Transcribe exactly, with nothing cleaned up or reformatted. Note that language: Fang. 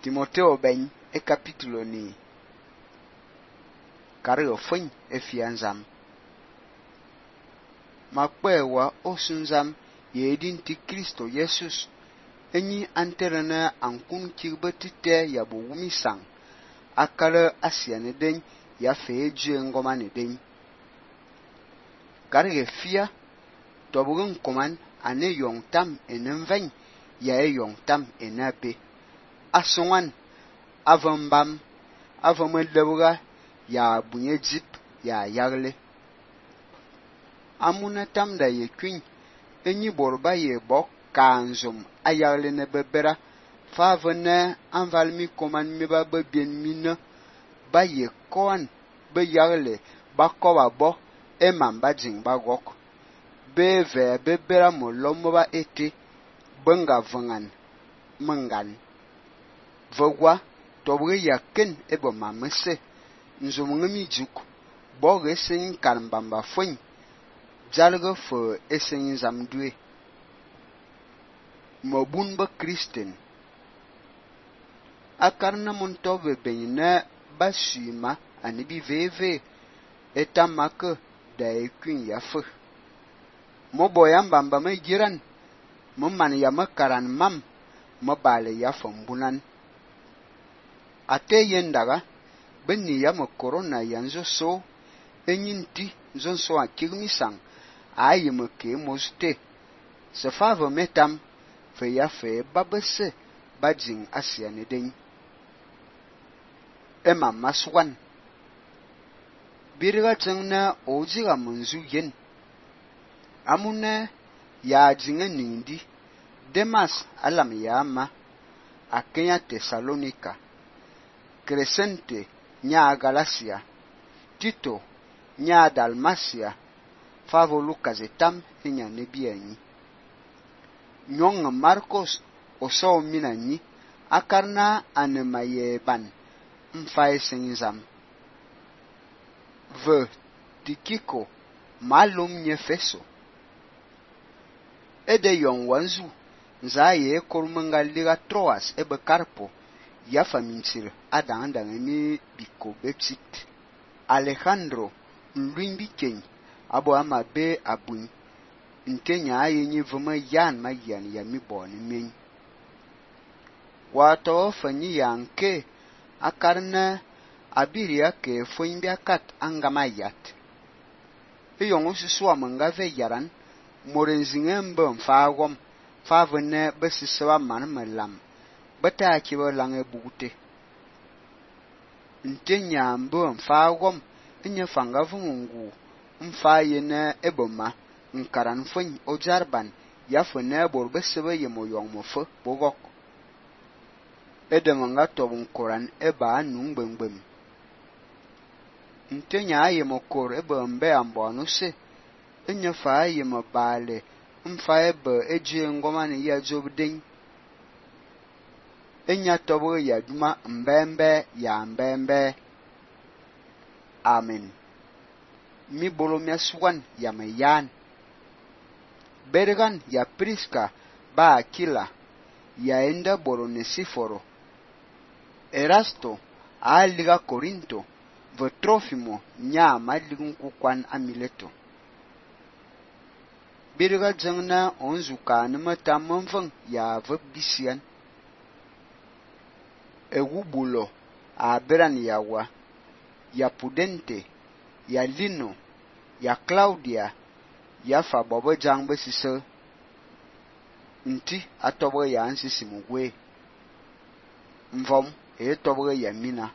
Timothée ben e capítulo ni carrego fin e fianzam. Ma kwewa osunzam yedin ti Kristo Jesus enyi anterena ankun kirbetite ya bo wumi sang akara asiane den ya fe je ngoma ne den. Carrego fia tobugun koman ane yong tam enenven ya e yong tam enape. Asongan avambam avamelebuga ya bunye jip ya yagle. Amuna tam da ye kwin enyi borba ye bok kanzum ayagle ne bebera favene anvalmi koman mi ba bebien mina ba ye koan be yagle ba koba bo e mamba jing ba gok be ve bebera molomo ba ete benga vangan mangan vogwa tobwe yaken ebo mamese nzum ngami juk bo resen karmbamba fun jalgo fo esen zamdue mobun ba kristen akarna montobe beina basuma anibi veve etamaka da ekwin yafu mobo yambamba me giran mumman ya makaran mam mabale ya fambunan ate yendaga benni ya mo corona yanzo so enyinti zon so akirmi sang ayi mo ke moste se favo metam fe ya fe babese bajing asiane den ema maswan birga tengna ojiga munzu yen amune ya jinga nindi Demas alam yama akenya Tesalonika Crescente nya Galacia Tito nya Dalmacia favo Lucas etam nya nebiani nyong Marcos oso minani akarna anemaye ban mfae senzam ve Tikiko malum nyefeso ede yon wanzu nzaye kormanga liga Troas ebe Carpo ya famintir adanda ngemi biko bexit Alejandro nluimbi ken abo amabe abun nkenya ayenyi vuma yan mayan ya mibon men wato fanyi yanke akarna abiria ke foimbi akat angamayat eyongo suswa mangave yaran morenzingembe mfagom favene besiswa manmelam bata kibo lange bugute ntenya mbo mfagom enye fanga vungu mfayene eboma nkaran fun ojarban yafune bor besebe yemo yongmofo bogok edemanga tobun koran eba nungbengbem ntenya ayemo kor eba mbe ambonu se enye fa yemo bale mfa ebe eje ngoma ne ya jobden enya tobo ya duma mbembe ya mbembe amen mi bolo meswan ya mayan bergan ya Priska ba Aquila ya enda bolo nesiforo Erasto a liga Corinto ve Trofimo nya maligun kukwan amileto birga jangna onzuka nima tammanfang ya vabisian Egubulo a beran yawa ya Pudente ya Lino ya Claudia ya fa bobo jangbe sise nti atobo ya ansi simugwe mvom e tobo ya mina